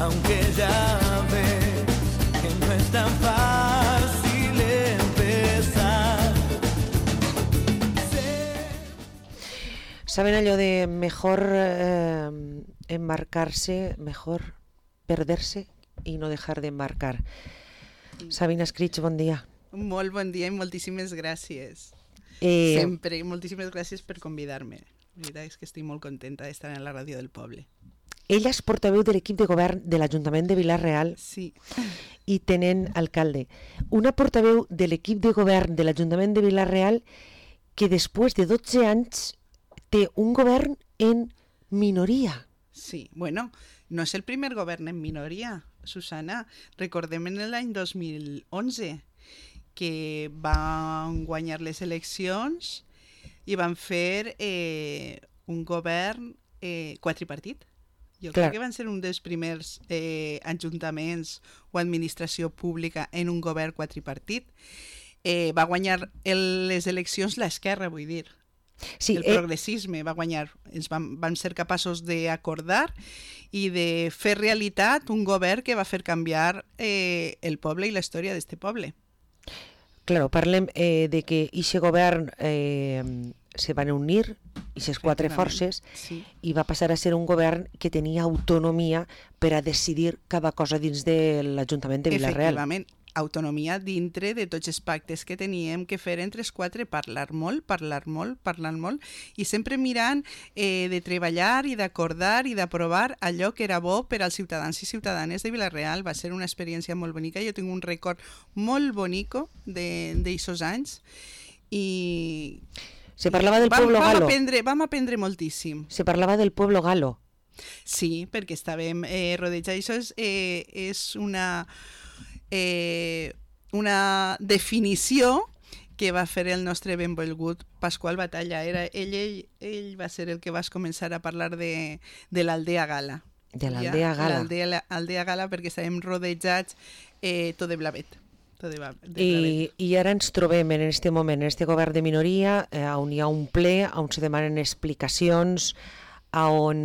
aunque ya ves que no es tan fácil empezar. ¿Saben allò de mejor embarcarse, mejor perderse y no dejar de embarcar? Sabina Escrits, bon dia. Molt bon dia i moltíssimes gràcies. Sempre, moltíssimes gràcies per convidar-me. La veritat és que estic molt contenta d'estar en la ràdio del poble. Ella és portaveu de l'equip de govern de l'Ajuntament de Vila-real sí. I tenent alcalde. Una portaveu de l'equip de govern de l'Ajuntament de Vila-real que després de 12 anys té un govern en minoria. Sí, bueno, no és el primer govern en minoria, Susana. Recordem en l'any 2011 que van guanyar les eleccions i van fer un govern quadripartit. Jo crec que van ser un dels primers ajuntaments o administració pública en un govern quadripartit. Va guanyar les eleccions l'esquerra, vull dir. Sí, el progressisme va guanyar. Van ser capaços d'acordar i de fer realitat un govern que va fer canviar el poble i la història d'este poble. Claro, parlem de que aquest govern se van unir, aquestes quatre forces, sí. I va passar a ser un govern que tenia autonomia per a decidir cada cosa dins de l'Ajuntament de Vila-real. Efectivament, autonomia dintre de tots els pactes que teníem que fer entre els quatre, parlar molt, i sempre mirant de treballar i d'acordar i d'aprovar allò que era bo per als ciutadans i ciutadanes de Vila-real. Va ser una experiència molt bonica. Jo tinc un record molt bonico d'aixòs anys i... Se parlava del pueblo galo. Vam aprendre moltíssim. Se parlava del pueblo galo. Sí, perquè estàvem rodejats. Això és una definició que va fer el nostre benvolgut Pasqual Batalla. Ell va ser el que va començar a parlar de l'aldea gala. De l'aldea gala. L'aldea gala perquè estàvem rodejats tot de blavet. I ara ens trobem en aquest moment, en aquest govern de minoria, on hi ha un ple, on se demanen explicacions, on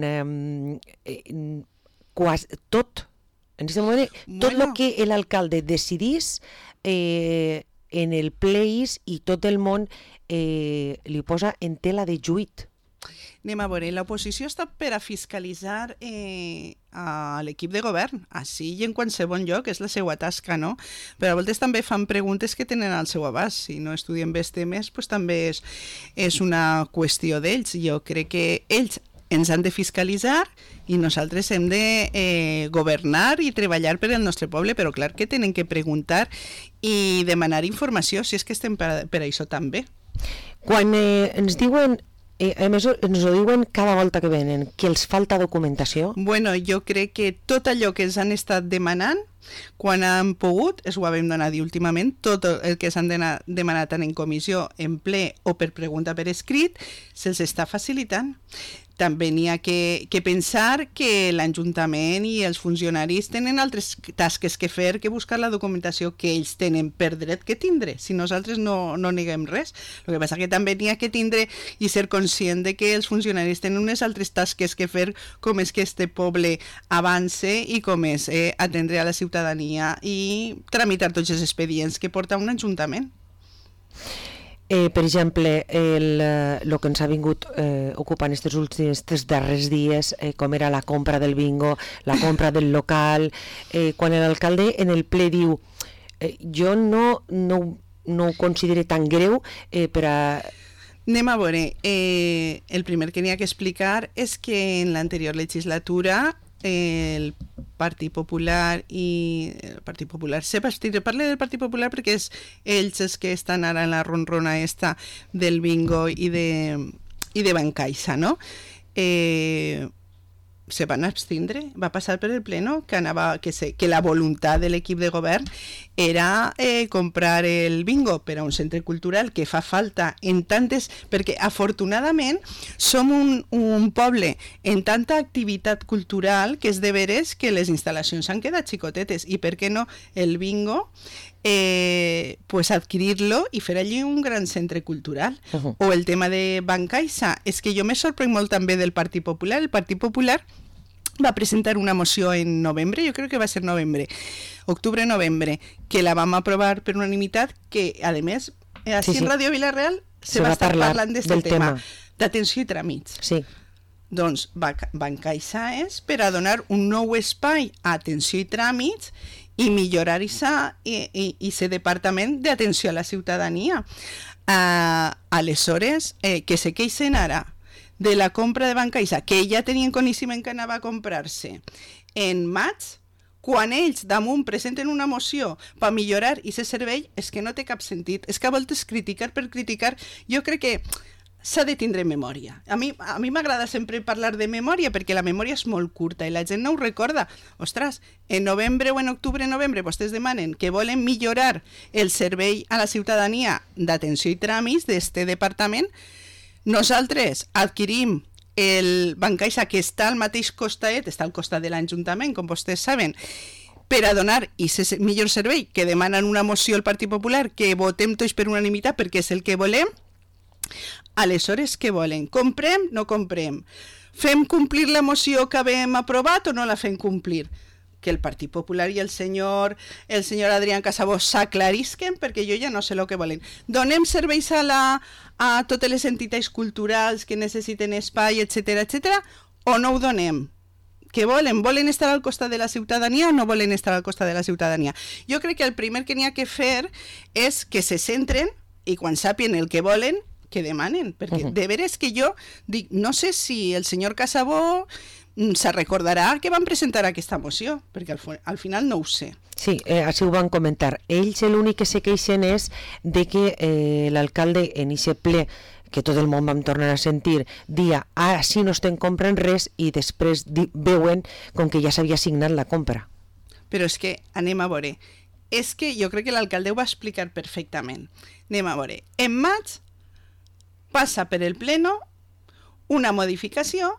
tot, en aquest moment, tot el que l'alcalde decidís en el ple i tot el món li posa en tela de juit. Anem a veure, l'oposició està per a fiscalitzar a l'equip de govern, així i en qualsevol lloc, és la seva tasca, no? Però a voltes també fan preguntes que tenen al seu abast. Si no estudien bé els temes, doncs també és una qüestió d'ells. Jo crec que ells ens han de fiscalitzar i nosaltres hem de governar i treballar per al nostre poble, però clar que tenen que preguntar i demanar informació, si és que estem per això també. Quan ens diuen... a més, ens ho diuen cada volta que venen, que els falta documentació. Bueno, jo crec que tot allò que ens han estat demanant, quan han pogut, es ho vam donar últimament, tot el que s'han demanat tant en comissió, en ple o per pregunta per escrit, se'ls està facilitant. També n'hi ha que pensar que l'Ajuntament i els funcionaris tenen altres tasques que fer que buscar la documentació que ells tenen per dret que tindre, si nosaltres no neguem res. El que passa que també n'hi ha que tindre i ser conscient de que els funcionaris tenen unes altres tasques que fer, com és que este poble avance i com és atendre a la ciutadania i tramitar tots els expedients que porta un ajuntament. Per exemple, el que ens ha vingut ocupant aquests darrers dies, com era la compra del bingo, la compra del local, quan l'alcalde en el ple diu jo no ho considero tan greu per a... Anem a veure, el primer que n'hi ha que explicar és que en l'anterior legislatura el Partit Popular parle del Partit Popular perquè és ells els que estan ara en la ronrona esta del bingo i de Bancaixa, no? Se van abstindre, va passar per el pleno que la voluntat de l'equip de govern era comprar el bingo per a un centre cultural que fa falta en tantes, perquè afortunadament som un poble en tanta activitat cultural que és de veres que les instal·lacions han quedat xicotetes i per què no el bingo pues adquirir-lo i fer allí un gran centre cultural. O el tema de Bancaixa, és que jo me sorprenc molt també del Partit Popular. El Partit Popular va presentar una moció en novembre, yo creo que va a ser novembre, octubre-novembre, que la vam aprovar per unanimitat, que a més, així en Ràdio Vila-real se va estar parlant d'aquest tema d'atenció i tràmits. Sí. Doncs Bancaissa és per a donar un nou espai a atenció i tràmits i millorar aquest departament d'atenció a la ciutadania. Aleshores, que se queixen ara de la compra de Bancaissa, que ja tenien coneixement que anava a comprar-se en maig, quan ells damunt presenten una moció per millorar aquest servei, és que no té cap sentit. És que a voltes criticar per criticar, jo crec que s'ha de tindre memòria. A mi m'agrada sempre parlar de memòria perquè la memòria és molt curta i la gent no ho recorda. Ostres, en novembre o en octubre-novembre vostès demanen que volen millorar el servei a la ciutadania d'atenció i tràmits d'este departament. Nosaltres adquirim el Bancaissa, que està al mateix costat, està al costat de l'Ajuntament, com vostès saben, per a donar aquest millor servei, que demanen una moció al Partit Popular, que votem tots per unanimitat perquè és el que volem. Aleshores, què volen? Comprem? No comprem? Fem complir la moció que havíem aprovat o no la fem complir? Que el Partit Popular i el senyor Adrián Casabó s'aclarisquen, perquè jo ja no sé el que volen. Donem serveis a totes les entitats culturals que necessiten espai, etc., o no ho donem? Què volen? Volen estar al costat de la ciutadania o no volen estar al costat de la ciutadania? Jo crec que el primer que n'hi ha que fer és que se centren i quan sàpien el que volen, que demanen, perquè de veres que jo dic, no sé si el senyor Casabó se recordarà que van presentar aquesta moció, perquè al final no ho sé. Sí, així ho van comentar. Ells l'únic que se queixen és de que l'alcalde en aquest ple, que tot el món vam tornar a sentir, dia, sí no estem comprant res, i després veuen com que ja s'havia signat la compra. Però és que anem a veure. És que jo crec que l'alcalde ho va explicar perfectament. Anem a veure. En maig passa per el pleno una modificació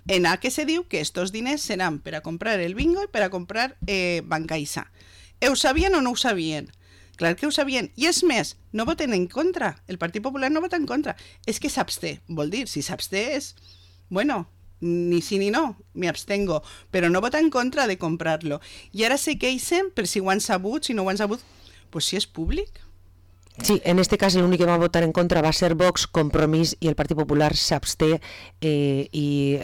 en la que se diu que estos diners seran per a comprar el bingo i per a comprar Bancaissa. Ho sabien o no ho sabien? Clar que ho sabien. I és més, no voten en contra. El Partit Popular no vota en contra. És que s'absté. Vol dir, si s'absté és, bueno, ni sí ni no, me abstengo, però no vota en contra de comprar-lo. I ara se queixen per si ho han sabut, si no ho han sabut, pues si és públic. Sí, en este cas l'únic que va votar en contra va ser Vox, Compromís, i el Partit Popular s'absté, i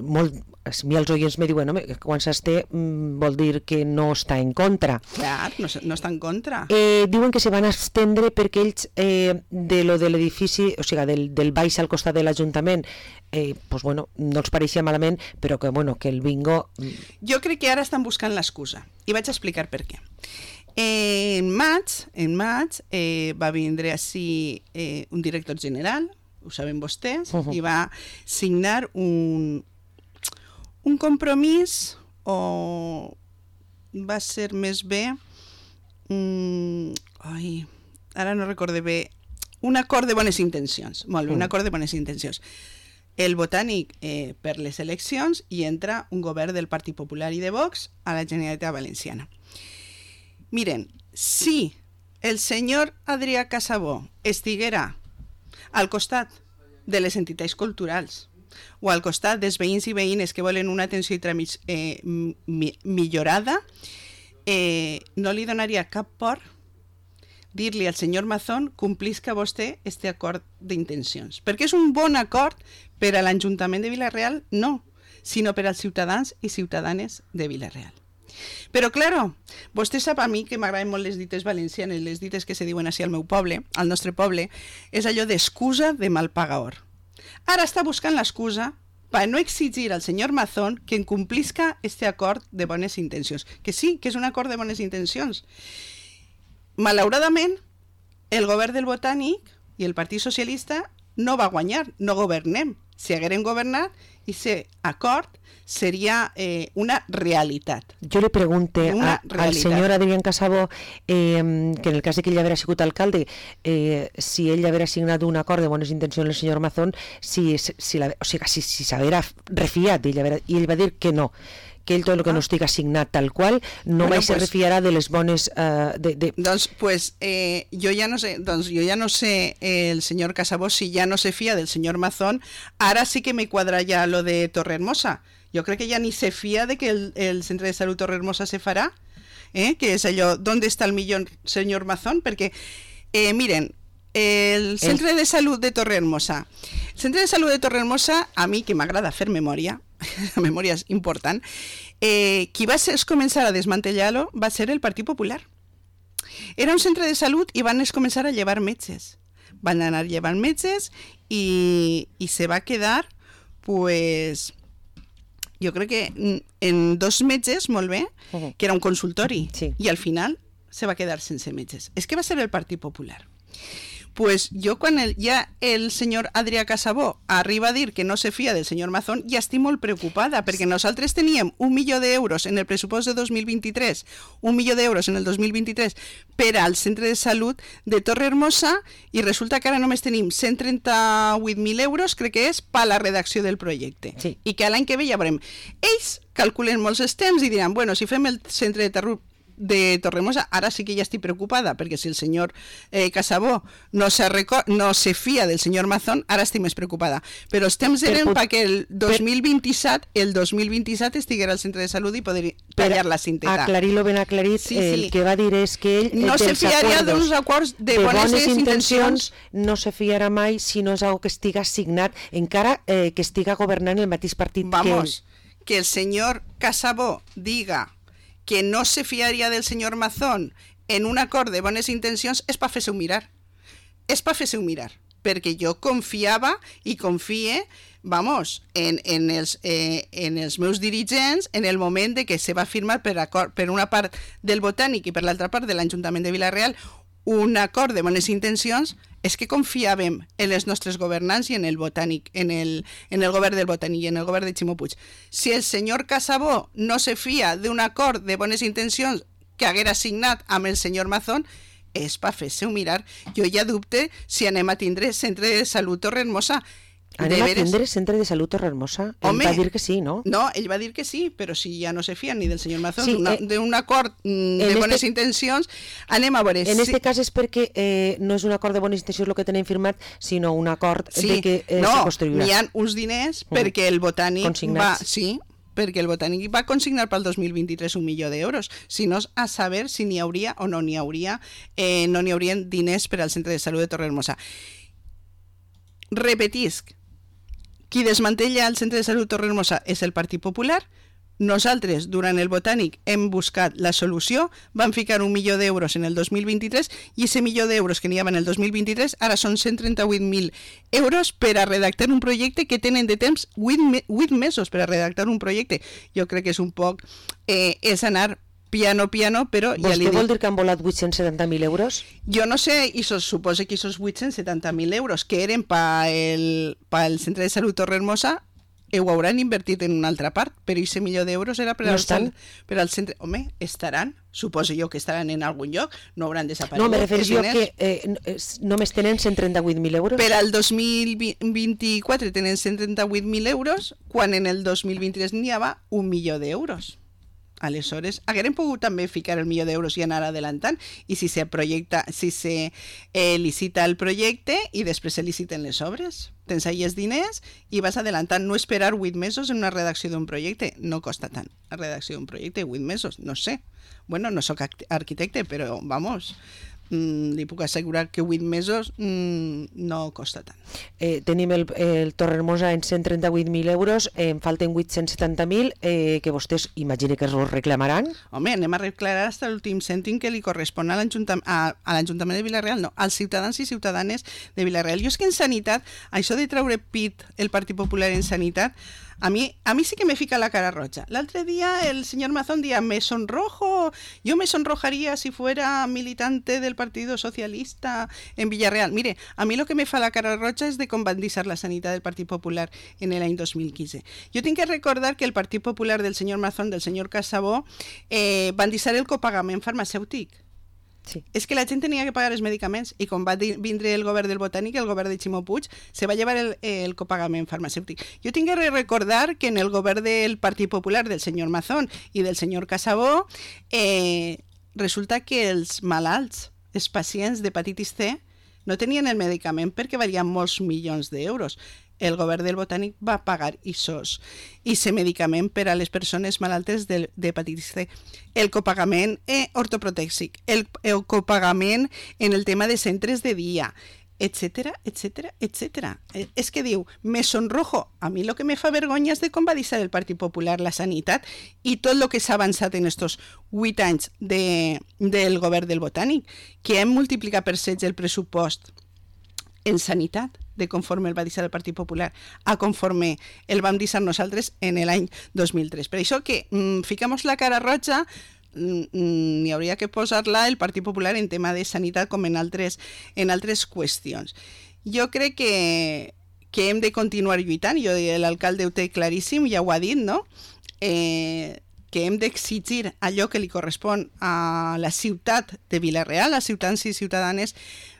molt, a mi els oients me diuen, que quan s'absté vol dir que no està en contra. Clar, no està en contra. Diuen que se van abstendre perquè ells de lo de l'edifici, o sigui, del baix al costat de l'Ajuntament, pues bueno, no els pareixia malament, però que, bueno, que el bingo... Jo crec que ara estan buscant l'excusa, i vaig explicar per què. En maig va vindre així un director general, ho saben vostès, i va signar un compromís, o va ser més bé, ara no recorde bé, un acord de bones intencions, molt bé, un acord de bones intencions. El Botànic per les eleccions, i entra un govern del Partit Popular i de Vox a la Generalitat Valenciana. Miren, si el senyor Adrià Casabó estiguera al costat de les entitats culturals o al costat dels veïns i veïnes que volen una atenció i tràmits millorada, no li donaria cap por dir-li al senyor Mazón complisca vostè este acord d'intencions. Perquè és un bon acord per a l'Ajuntament de Vila-real? No, sinó per als ciutadans i ciutadanes de Vila-real. Però, claro, vostè sap a mi que m'agraden molt les dites valencianes, les dites que se diuen així al meu poble, al nostre poble, és allò d'excusa de mal pagador. Ara està buscant l'excusa per no exigir al senyor Mazón que incomplisca este acord de bones intencions. Que sí, que és un acord de bones intencions. Malauradament, el govern del Botànic i el Partit Socialista no va guanyar, no governem. Si haguérem governat, aquest acord seria una realitat. Jo li pregunte al senyor Adrián Casabó que en el cas de que ell haguera sigut alcalde, si ell haguera signat un acord de bones intencions el senyor Mazón, si s'haguera refiat d'ell, i ell va dir que no, que ell tot el que no estiga signat tal qual no mai se refiarà de les bones... Doncs jo ja no sé el senyor Casabó si ja no se fia del senyor Mazón. Ara sí que me quadra ja lo de Torrehermosa, Jo crec que ja ni se fia de que el centre de salut Torrehermosa se farà, que és allò, ¿dónde está el millón, señor Mazón? Perquè, miren, el centre de salut de Torrehermosa. El centre de salut de Torrehermosa, a mi que m'agrada fer memòria, la memòria és important, qui va començar a desmantellar-lo va ser el Partit Popular. Era un centre de salut i van començar a llevar metges. Van anar llevant metges i se va quedar, pues, jo crec que en 2 metges, molt bé, que era un consultori, sí. I al final se va quedar sense metges. És que va ser el Partit Popular. Pues jo quan ja el senyor Adrià Casabó arriba a dir que no se fia del senyor Mazón, ja estic molt preocupada, perquè nosaltres teníem 1 milió d'euros en el pressupost de 2023, 1 milió d'euros en el 2023 per al centre de salut de Torrehermosa i resulta que ara només tenim 138.000 euros, crec que és, per a la redacció del projecte. Sí. I que l'any que ve ja veurem. Ells calculen molts els temps i diran, bueno, si fem el centre de Torrehermosa, ara sí que ja estic preocupada, perquè si el senyor Casabó no se fia del senyor Mazón, ara estic més preocupada. Però els temps eren perquè el 2027 estiguera al centre de salut i poder tallar la cinteta. Aclarir-lo ben aclarit, sí. El que va dir és que ell no se fiaria d'uns acords de bones intencions, no se fiarà mai si no és algo que estiga signat, encara que estiga governant el mateix partit que el senyor Casabó diga que no se fiaria del senyor Mazón en un acord de bones intencions és per fer-se-ho mirar. És per fer-se-ho mirar. Perquè jo confiava i confie, en els meus dirigents en el moment de que se va firmar per una part del Botànic i per l'altra part de l'Ajuntament de Vila-real un acord de bones intencions, és que confiàvem en els nostres governants i en el Botànic, en el govern del Botànic i en el govern de Ximo Puig. Si el senyor Casabó no se fia d'un acord de bones intencions que haguera signat amb el senyor Mazón, és per fer-se-ho mirar. Jo ja dubte si anem a tindre centre de salut Torrehermosa. Anem a tindre centre de salut Torrehermosa? Ell va dir que sí, no? No, ell va dir que sí, però si ja no se fien ni del senyor Mazón, sí, d'un acord de bones intencions, anem a veure. En aquest cas és perquè no és un acord de bones intencions el que tenen firmat, sinó un acord de que se construirà. N'hi ha uns diners perquè el Botànic perquè el Botànic va consignar pel 2023 1 milió d'euros, si no a saber si n'hi hauria o no n'hi hauria, no n'hi haurien diners per al centre de salut de Torrehermosa. Repetisc, qui desmantella el centre de salut Torrehermosa és el Partit Popular. Nosaltres, durant el Botànic, hem buscat la solució, vam ficar 1 milió d'euros en el 2023 i ese milió d'euros que n'hi havia en el 2023 ara són 138.000 euros per a redactar un projecte que tenen de temps 8 mesos per a redactar un projecte. Jo crec que és un poc... és anar piano, però ja li dic... Vostè vol dir que han volat 870.000 euros? Jo no sé, i suposa que aquests 870.000 euros que eren pel centre de salut Torrehermosa ho hauran invertit en una altra part, però aquest milió d'euros era per al centre... Home, estaran, suposo jo que estaran en algun lloc, no hauran desaparegut. No, me refereixo que només tenen 138.000 euros. Per al 2024 tenen 138.000 euros, quan en el 2023 n'hi havia 1 milió d'euros. Aleshores, haguérem pogut també ficar el milió d'euros i anar adelantant, i si se licita el projecte i després se liciten les obres, tens ahí els diners i vas adelantant, no esperar 8 mesos en una redacció d'un projecte, no costa tant la redacció d'un projecte, 8 mesos, no sé, bueno, no sóc arquitecte, però vamos, li puc assegurar que 8 mesos no costa tant. Tenim el Torrehermosa en 138.000 euros, en falten 870.000, que vostès imagine que es reclamaran. Home, anem a reclamar fins a l'últim cèntim que li correspon a l'Ajuntament de Vila-real, no, als ciutadans i ciutadanes de Vila-real. Jo és que en sanitat, això de treure pit el Partit Popular en sanitat, a mi sí que me fica la cara roja. L'altre dia el senyor Mazón dia, me sonrojo, yo me sonrojaría si fuera militante del Partido Socialista en Villarreal. Mire, a mí lo que me fa la cara roja és de com van deixar la sanitat del Partit Popular en l'any 2015. Jo tinc que recordar que el Partit Popular del senyor Mazón, del senyor Casabó, van deixar el copagament farmacèutic. Sí. És que la gent tenia que pagar els medicaments i quan va vindre el govern del Botànic, el govern de Ximo Puig, se va llevar el copagament farmacèutic. Jo tinc que recordar que en el govern del Partit Popular del senyor Mazón i del senyor Casabó resulta que els malalts, els pacients d'hepatitis C, no tenien el medicament perquè valien molts milions d'euros. el govern del Botànic va pagar aquest medicament per a les persones malaltes d'hepatitis C. El copagament ortoprotèxic, el copagament en el tema de centres de dia, etcètera, etcètera, etcètera. És que diu, me sonrojo. A mi el que me fa vergonya és de com va deixar el Partit Popular la sanitat i tot el que s'ha avançat en estos 8 anys del govern del Botànic, que hem multiplicat per 16 el pressupost en sanitat, de conforme el va deixar el Partit Popular a conforme el vam deixar nosaltres en l'any 2003. Per això que ficamos la cara roja, n'hi hauria que posar-la el Partit Popular en tema de sanitat com en altres qüestions. Jo crec que hem de continuar lluitant, l'alcalde ho té claríssim, ja ho ha dit, no? Que hem d'exigir allò que li correspon a la ciutat de Vila-real, a ciutadans i ciutadanes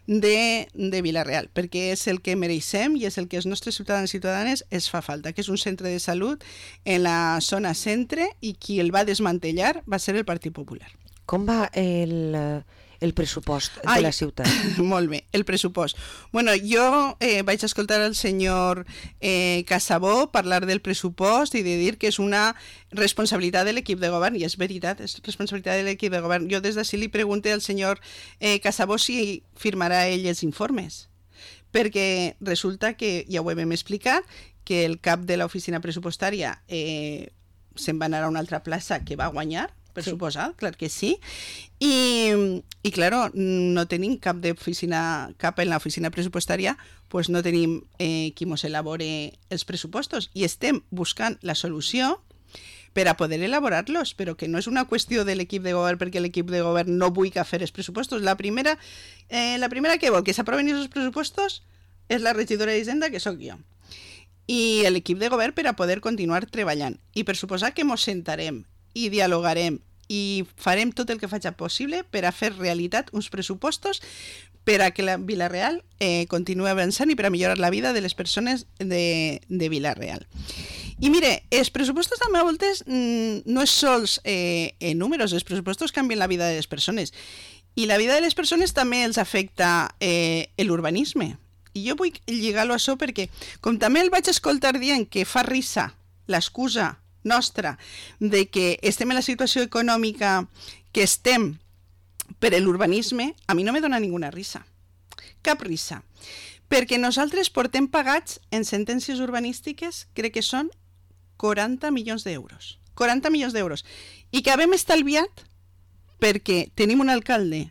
de Vila-real, perquè és el que mereixem i és el que els nostres ciutadans i ciutadanes es fa falta, que és un centre de salut en la zona centre, i qui el va desmantellar va ser el Partit Popular. Com va el pressupost de la ciutat? Molt bé, el pressupost. Bueno, jo vaig escoltar el senyor Casabó parlar del pressupost i de dir que és una responsabilitat de l'equip de govern, i és veritat, és responsabilitat de l'equip de govern. Jo des d'ací li pregunto al senyor Casabó si firmarà ell els informes, perquè resulta que, ja ho hem explicat, que el cap de l'oficina pressupostària se'n va anar a una altra plaça que va guanyar, per suposar, clar que sí, i claro, no tenim cap en l'oficina pressupostària, pues no tenim qui mos elabore els pressupostos, i estem buscant la solució per a poder elaborar-los, però que no és una qüestió de l'equip de govern perquè l'equip de govern no vulgui fer els pressupostos. La primera que vol que s'aproven aquests pressupostos és la regidora d'Hisenda, que sóc jo, i l'equip de govern per a poder continuar treballant. I per suposar que mos sentarem i dialogarem i farem tot el que faci possible per a fer realitat uns pressupostos per a que la Vila-real continuï avançant i per a millorar la vida de les persones de Vila-real. I mire, els pressupostos també a voltes no és sols en números, els pressupostos canvien la vida de les persones, i la vida de les persones també els afecta l'urbanisme. I jo vull lligar-lo a això perquè, com també el vaig escoltar dient que fa risa l'excusa nostra de que estem en la situació econòmica que estem per l'urbanisme, a mi no me dona ninguna risa, cap risa, perquè nosaltres portem pagats en sentències urbanístiques, crec que són 40 milions d'euros, 40 milions d'euros, i que hem estalviat perquè tenim un alcalde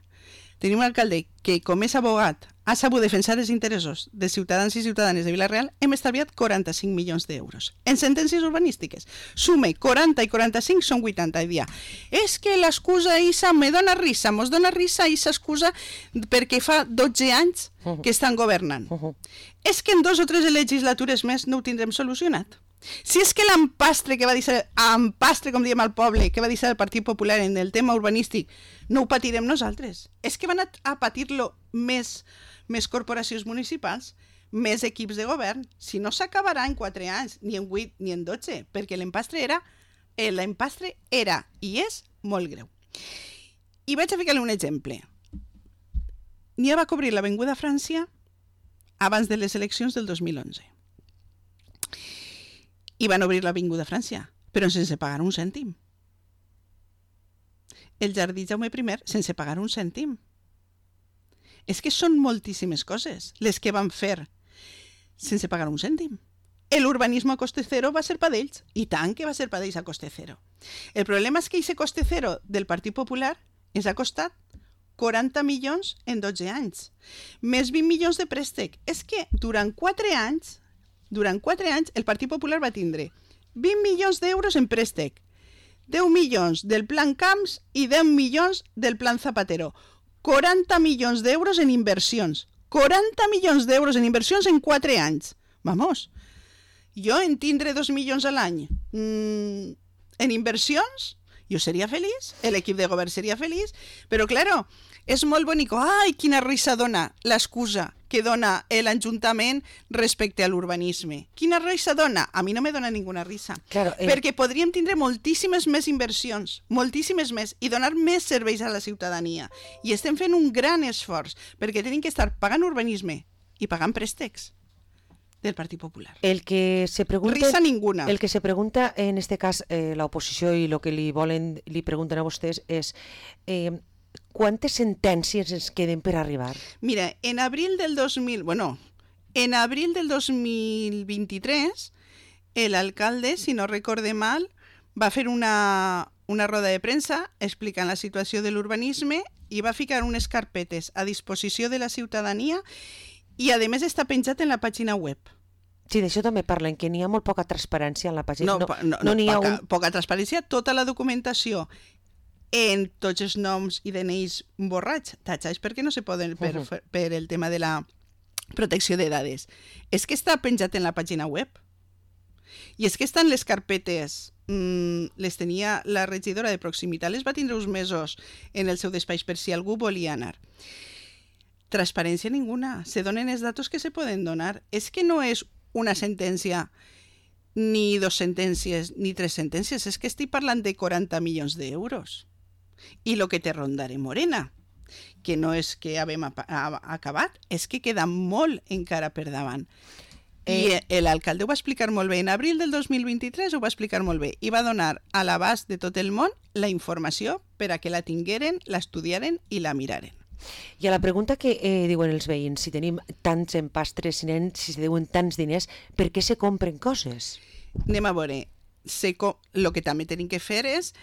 que, com és abogat, ha sabut defensar els interessos de ciutadans i ciutadanes de Vila-real, hem estalviat 45 milions d'euros en sentències urbanístiques. Sume 40 i 45 són 80 i dia. És que l'excusa Isa me dona risa, mos dona risa aquesta excusa perquè fa 12 anys que estan governant. És que en 2 o 3 legislatures més no ho tindrem solucionat. Si és que l'empastre que va deixar, com diem al poble, que va deixar el Partit Popular en el tema urbanístic, no ho patirem nosaltres. És que van a patir-lo més corporacions municipals, més equips de govern. Si no s'acabarà en 4 anys, ni en 8 ni en 12, perquè l'empastre era i és molt greu. I vaig a ficar-li un exemple. N'hi va cobrir l'Avinguda França abans de les eleccions del 2011. I van obrir l'Avinguda França, però sense pagar un cèntim. El Jardí Jaume I, sense pagar un cèntim. És que són moltíssimes coses les que van fer sense pagar un cèntim. L'urbanisme a coste cero va ser per d'ells, i tant que va ser per d'ells a coste cero. El problema és que aquest coste cero del Partit Popular ens ha costat 40 milions en 12 anys, més 20 milions de préstec. És que durant 4 anys el Partit Popular va tindre 20 milions d'euros en préstec, 10 milions del Plan Camps i 10 milions del Plan Zapatero. 40 milions d'euros en inversions. 40 milions d'euros en inversions en 4 anys. Vamos, jo en tindre 2 milions a l'any en inversions, jo seria feliç, l'equip de govern seria feliç, però claro, és molt bonic. Ai, quina risa dona l'excusa que dona l'Ajuntament respecte a l'urbanisme. Quina risa dona? A mi no me dona ninguna risa. Claro, perquè podríem tindre moltíssimes més inversions, moltíssimes més, i donar més serveis a la ciutadania. I estem fent un gran esforç, perquè tenim que estar pagant urbanisme i pagant préstecs. del Partit Popular. El que se pregunta, Risa ninguna. El que se pregunta, en este cas, la oposició i el que li pregunten a vostès és quantes sentències ens queden per arribar? Mira, en abril del 2023, el alcalde, si no recorde mal, va fer una roda de premsa explicant la situació de l'urbanisme i va ficar unes carpetes a disposició de la ciutadania i, a més, està penjat en la pàgina web. Sí, d'això també parlen, que n'hi ha molt poca transparència en la pàgina. No n'hi ha poca transparència, tota la documentació en tots els noms i DNIs borrats, tatxats perquè no se poden per el tema de la protecció de dades. És que està penjat en la pàgina web. I és que estan les carpetes, les tenia la regidora de proximitat, les va tindre uns mesos en el seu despatx per si algú volia anar. Transparència ninguna, se donen els datos que se poden donar. És que no és una sentència, ni 2 sentències, ni 3 sentències, és que estic parlant de 40 milions d'euros. I el que te rondaré Morena, que no és que haguem acabat, és que queda molt encara per davant. I l'alcalde ho va explicar molt bé. En abril del 2023 ho va explicar molt bé i va donar a l'abast de tot el món la informació per a que la tingueren, l'estudiaren i la miraren. I a la pregunta que diuen els veïns, si tenim tants empastres, si se deuen tants diners, per què se compren coses? Anem a veure. El que també tenim que fer és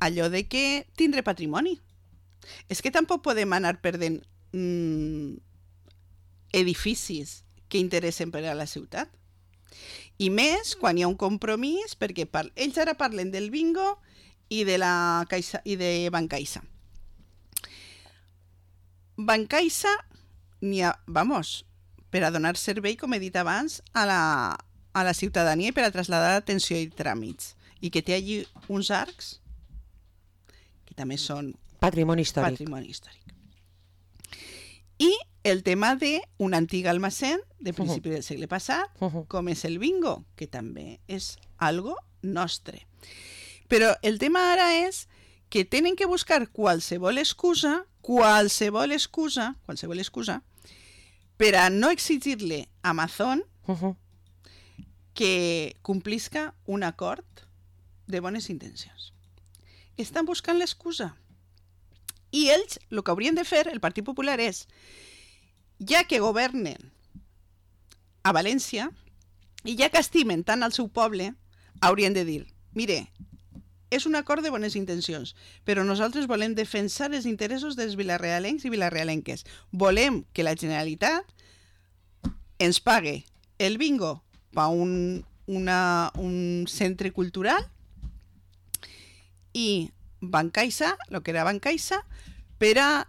allò de que tindre patrimoni. És que tampoc podem anar perdent edificis que interessen per a la ciutat. I més quan hi ha un compromís, perquè ells ara parlen del bingo i de la Caixa i de Bancaixa. Bancaixa n'hi ha, per a donar servei, com he dit abans, a la ciutadania i per a traslladar atenció i tràmits. I que té allí uns arcs que també són patrimoni històric. I el tema d'un antic almacén de principi del segle passat, com és el bingo, que també és algo nostre. Però el tema ara és que tenen que buscar qualsevol excusa per a no exigir-li a Amazon que complisca un acord de bones intencions. Estan buscant l'excusa. I ells, el que haurien de fer, el Partit Popular, és, ja que governen a València i ja que estimen tant al seu poble, haurien de dir, mire, és un acord de bones intencions, però nosaltres volem defensar els interessos dels vilarealencs i vilarealenques. Volem que la Generalitat ens pague el bingo per un centre cultural i Bancaixa, el que era Bancaixa, per a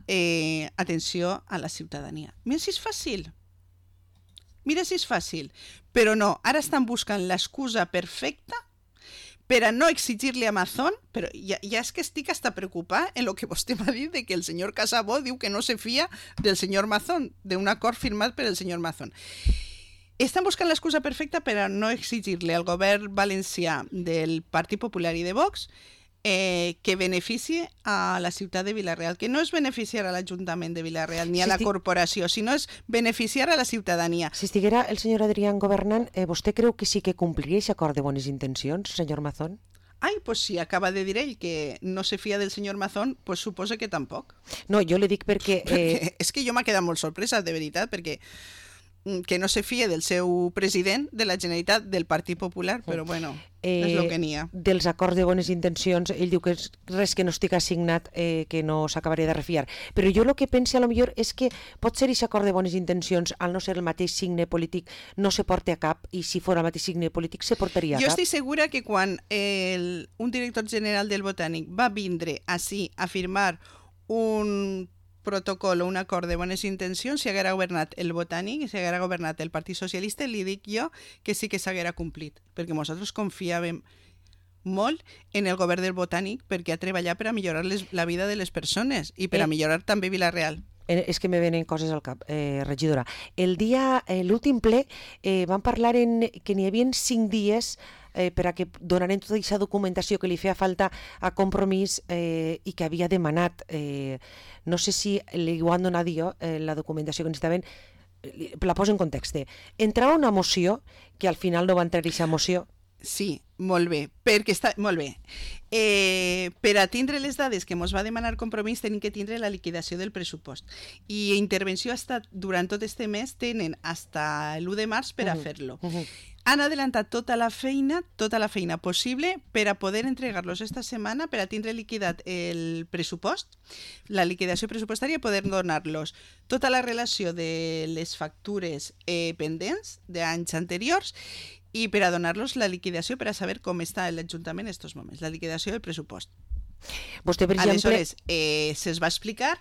atenció a la ciutadania. Mira si és fàcil. Però no, ara estan buscant l'excusa perfecta per a no exigir-li a Amazon, però ja és que estic hasta preocupada en el que vostè m'ha dit de que el senyor Casabó diu que no se fia del senyor Mazón, d'un acord firmat per el senyor Mazón. Estan buscant l'excusa perfecta per a no exigir-li al govern valencià del Partit Popular i de Vox que beneficie a la ciutat de Vila-real, que no és beneficiar a l'Ajuntament de Vila-real ni a la corporació, sinó és beneficiar a la ciutadania. Si estiguera el senyor Adrián governant, vostè creu que sí que compliria aquest acord de bones intencions, senyor Mazón? Ai, pues si acaba de dir ell que no se fia del senyor Mazón, pues suposa que tampoc. No, jo le dic perquè és que jo m'ha quedat molt sorpresa, de veritat, perquè que no se fie del seu president de la Generalitat del Partit Popular, però bueno, és el que n'hi ha. Dels acords de bones intencions, ell diu que res que no estigui assignat que no s'acabaria de refiar. Però jo el que pense a lo millor és que pot ser aquest acord de bones intencions, al no ser el mateix signe polític, no se porta a cap, i si fos el mateix signe polític se portaria a cap. Jo estic segura que quan un director general del Botànic va vindre ací a firmar un protocol o un acord de bones intencions, si haguera governat el Botànic i si haguera governat el Partit Socialista, li dic jo que sí que s'haguera complit, perquè nosaltres confiàvem molt en el govern del Botànic perquè ha treballat per a millorar la vida de les persones i per a millorar també Vila-real. És que me venen coses al cap, regidora. L'últim ple van parlar que n'hi havia 5 dies per a que donaren tota aquesta documentació que li feia falta a Compromís i que havia demanat. No sé si li ho han donat jo, la documentació que necessitaven, la poso en context. Entrava una moció que al final no va entrar aquesta moció. Sí, molt bé, perquè està... Molt bé. Per a tindre les dades que ens va demanar Compromís tenim que tindre la liquidació del pressupost. I intervenció ha estat, durant tot este mes, tenen hasta l'1 de març per a fer-lo. Han adelantat tota la feina possible per a poder entregar-los esta setmana, per a tindre liquidat el pressupost, la liquidació pressupostària, i poder donar-los tota la relació de les factures pendents d'anys anteriors i per a donar-los la liquidació per a saber com està l'Ajuntament en aquests moments, la liquidació del pressupost. Vostè, per exemple... Aleshores, se'ls va explicar,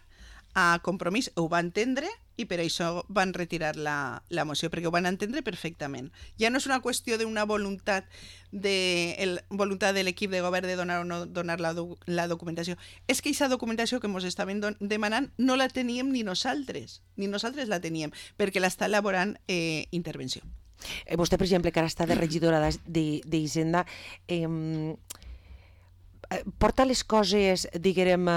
a Compromís ho va entendre i per això van retirar la moció, perquè ho van entendre perfectament. Ja no és una qüestió d'una voluntat de l'equip de govern de donar o no donar la documentació. És que aquesta documentació que ens estaven demanant no la teníem ni nosaltres la teníem, perquè l'està elaborant Intervenció. Vostè, per exemple, que ara està de regidora d'Hisenda, porta les coses, diguem,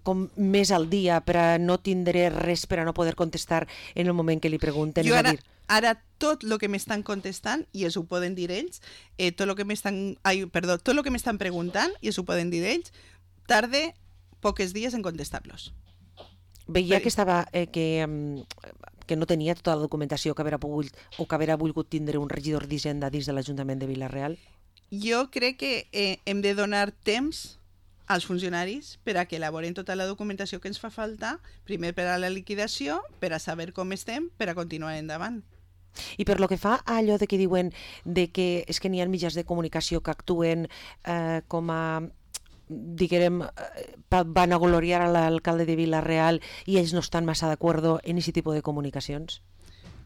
com més al dia per a no tindre res, per a no poder contestar en el moment que li pregunten? Jo ara tot el que m'estan contestant, i es ho poden dir ells, tot el que m'estan preguntant, i es ho poden dir ells, tarde pocs dies en contestar-los. Veia que estava... que no tenia tota la documentació que haurà pogut o que haurà volgut tindre un regidor d'Hisenda dins de l'Ajuntament de Vila-real? Jo crec que hem de donar temps als funcionaris per a que elaboren tota la documentació que ens fa falta, primer per a la liquidació, per a saber com estem, per a continuar endavant. I per lo que fa a allò de que diuen de que és que n'hi ha mitjans de comunicació que actuen com a... diguem, van a gloriar a l'alcalde de Vila-real i ells no estan massa d'acord en aquest tipus de comunicacions?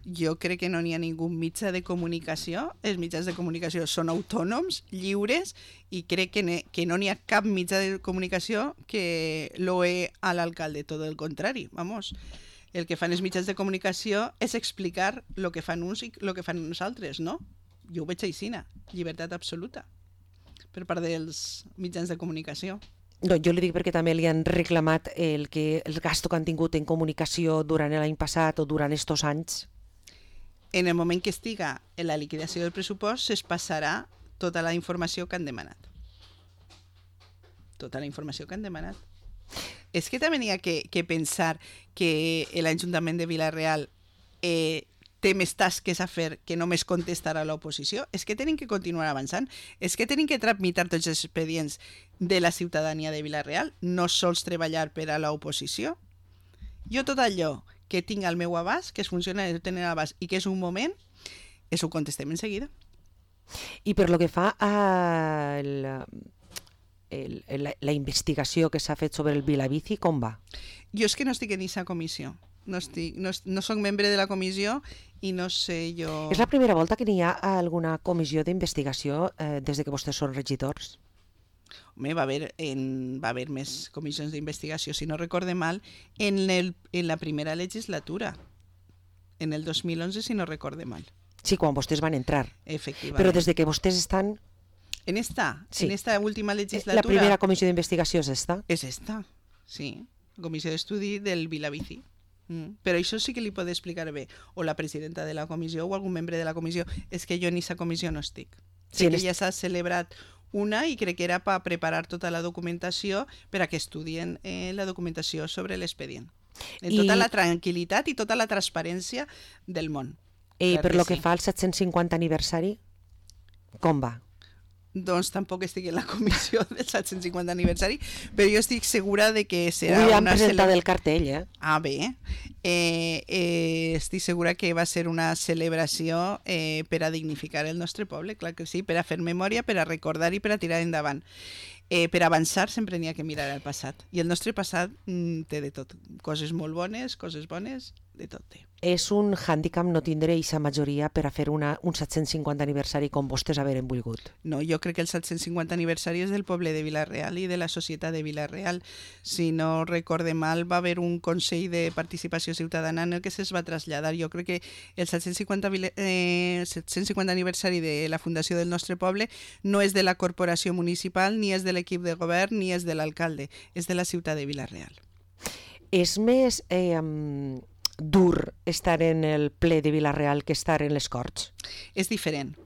Jo crec que no n'hi ha ningú mitjà de comunicació. Els mitjans de comunicació són autònoms, lliures, i crec que no n'hi ha cap mitjà de comunicació que loe a l'alcalde, tot el contrari, vamos. El que fan els mitjans de comunicació és explicar el que fan uns i el que fan nosaltres, no? Jo ho veig així, llibertat absoluta per part dels mitjans de comunicació. No, jo li dic perquè també li han reclamat el gasto que han tingut en comunicació durant l'any passat o durant estos anys. En el moment que estiga en la liquidació del pressupost es passarà tota la informació que han demanat. Tota la informació que han demanat. És que també n'hi ha que pensar que l'Ajuntament de Vila-real té més tasques a fer que només contestar a l'oposició. És que tenen que continuar avançant. És que tenen que tramitar tots els expedients de la ciutadania de Vila-real, no sols treballar per a l'oposició. Jo tot allò que tinc al meu abast, que es funciona de tenir a l'abast i que és un moment, ho contestem en seguida. I per lo que fa a la investigació que s'ha fet sobre el Vilabici, com va? Jo és que no estic en aquesta comissió. No soc membre de la comissió i no sé jo... És la primera volta que n'hi ha alguna comissió d'investigació des de que vostès són regidors? Home, va haver més comissions d'investigació, si no recorde mal, en la primera legislatura, en el 2011, si no recorde mal. Sí, quan vostès van entrar. Efectivament. Però des de que vostès estan... En esta última legislatura... La primera comissió d'investigació és esta? És esta, sí. La comissió d'estudi del Vilabici. Però això sí que li pot explicar bé o la presidenta de la comissió o algun membre de la comissió. És que jo en aquesta comissió no estic. Sí, que ja s'ha celebrat una i crec que era per preparar tota la documentació per a que estudien la documentació sobre l'expedient. En tota la tranquil·litat i tota la transparència del món. I per lo que fa al 750 aniversari, com va? Doncs tampoc estic en la comissió del 750 aniversari, però jo estic segura de que serà Avui han presentat el cartell, Ah, bé. Estic segura que va ser una celebració per a dignificar el nostre poble, clar que sí, per a fer memòria, per a recordar i per a tirar endavant. Per avançar sempre n'hi ha que mirar al passat. I el nostre passat té de tot. Coses molt bones, coses bones, de tot té. És un hàndicap no tindre aquesta majoria per a fer un 750 aniversari com vostès haveren volgut? No, jo crec que el 750 aniversari és del poble de Vila-real i de la societat de Vila-real. Si no recorde mal, va haver un Consell de Participació Ciutadana en el que se'ls va traslladar. Jo crec que el 750 aniversari de la fundació del nostre poble no és de la corporació municipal, ni és de l'equip de govern, ni és de l'alcalde, és de la ciutat de Vila-real. És més dur estar en el ple de Vila-real que estar en les Corts? És diferent.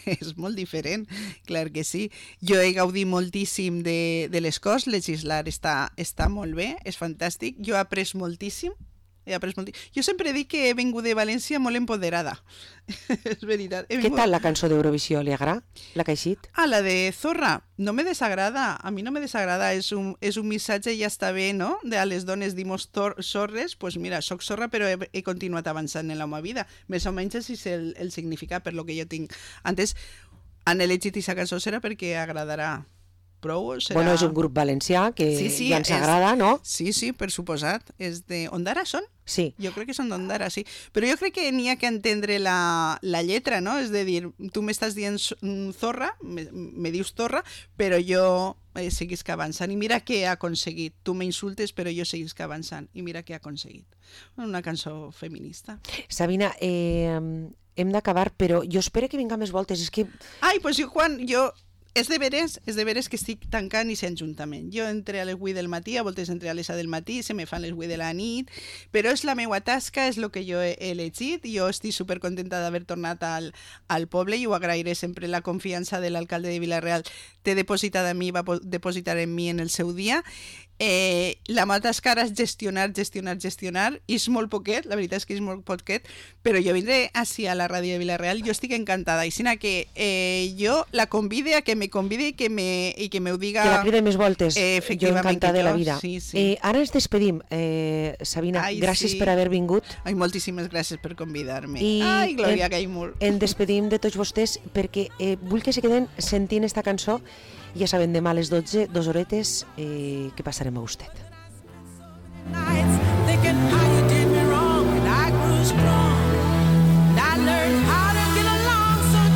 És molt diferent, clar que sí. Jo he gaudit moltíssim de les Corts, legislar està molt bé, és fantàstic. Jo he après moltíssim. Jo sempre dic que he vingut de València molt empoderada. És veritat. Què tal la cançó d'Eurovisió? Li agrada? La que ha eixit? La de Zorra. No me desagrada. A mi no me desagrada. És un missatge, ja està bé, no? De a les dones dimos zorres. Pues mira, soc zorra, però he continuat avançant en la meva vida. Més o menys és el significat per lo que jo tinc. Antes, han elegit aquesta cançó serà perquè agradarà prou. Serà... Bueno, és un grup valencià que ja ens agrada, no? Sí, per suposat. És de Ondara, són? Sí. Jo crec que són d'Ondara, sí. Però jo crec que n'hi ha que entendre la lletra, no? És de dir, tu m'estàs dient zorra, me dius zorra, però jo seguisc avançant. I mira què ha aconseguit. Tu m'insultes, però jo seguisc avançant. I mira què ha aconseguit. Una cançó feminista. Sabina, hem d'acabar, però jo espero que vinga més voltes. És que... Ai, doncs jo... És de veres que estic tancant i sent juntament. Jo entre a les 8 del matí, a voltes entre a les 7 del matí, se me fan les 8 de la nit, però és la meva tasca, és el que jo he elegit. Jo estic supercontenta d'haver tornat al poble i ho agrairé sempre. La confiança de l'alcalde de Vila-real té depositada en mi, va depositar en mi en el seu dia. La meva tasca és gestionar, i és molt poquet, la veritat és que és molt poquet, però jo vindré així a la ràdio de Vila-real, jo estic encantada, i sinó que jo la convide a que me convide i que m'ho diga... Que la cride més voltes, jo encantada de la vida. Sí, sí. Ara ens despedim, Sabina, gràcies per haver vingut. Ai, moltíssimes gràcies per convidar-me. Ai, Glòria Gaimur. Ens despedim de tots vostès perquè vull que se queden sentint esta cançó. Ja saben, demà a les 12, 2 horetes, que passarem a vostè.